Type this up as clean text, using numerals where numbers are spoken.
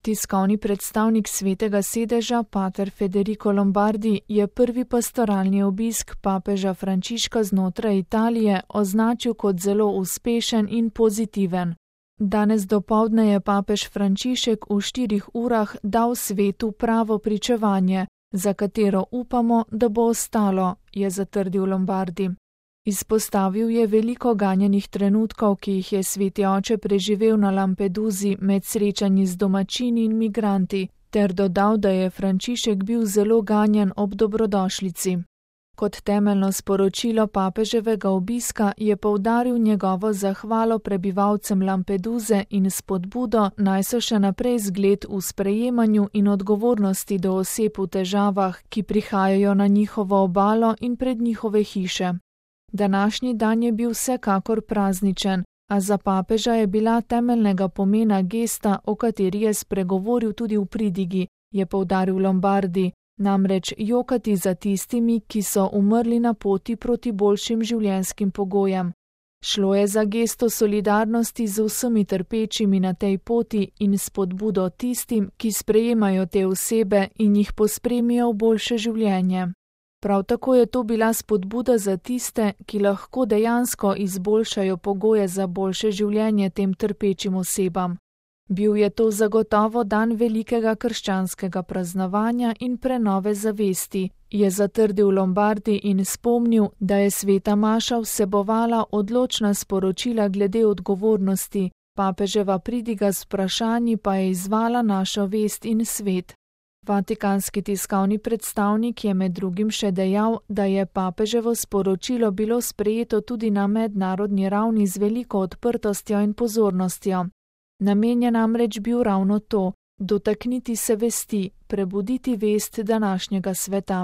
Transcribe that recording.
Tiskovni predstavnik Svetega sedeža, pater Federico Lombardi, je prvi pastoralni obisk papeža Frančiška znotraj Italije označil kot zelo uspešen in pozitiven. Danes dopoldne je papež Frančišek v 4 urah dal svetu pravo pričevanje, za katero upamo, da bo ostalo, je zatrdil Lombardi. Izpostavil je veliko ganjenih trenutkov, ki jih je sveti oče preživel na Lampedusi med srečanji z domačini in migranti, ter dodal, da je Frančišek bil zelo ganjen ob dobrodošlici. Kot temeljno sporočilo papeževega obiska je poudaril njegovo zahvalo prebivalcem Lampeduse in spodbudo, naj so še naprej zgled v sprejemanju in odgovornosti do oseb v težavah, ki prihajajo na njihovo obalo in pred njihove hiše. Današnji dan je bil vsekakor prazničen, a za papeža je bila temeljnega pomena gesta, o kateri je spregovoril tudi v pridigi, je poudaril Lombardi, namreč jokati za tistimi, ki so umrli na poti proti boljšim življenjskim pogojem. Šlo je za gesto solidarnosti z vsemi trpečimi na tej poti in spodbudo tistim, ki sprejemajo te osebe in jih pospremijo v boljše življenje. Prav tako je to bila spodbuda za tiste, ki lahko dejansko izboljšajo pogoje za boljše življenje tem trpečim osebam. Bil je to zagotovo dan velikega krščanskega praznovanja in prenove zavesti, je zatrdil Lombardi in spomnil, da je sveta maša vsebovala odločna sporočila glede odgovornosti, papeževa pridiga z vprašanji pa je izzvala našo vest in svet. Vatikanski tiskovni predstavnik je med drugim še dejal, da je papeževo sporočilo bilo sprejeto tudi na mednarodni ravni z veliko odprtostjo in pozornostjo. Namen je namreč bil ravno to, dotakniti se vesti, prebuditi vest današnjega sveta.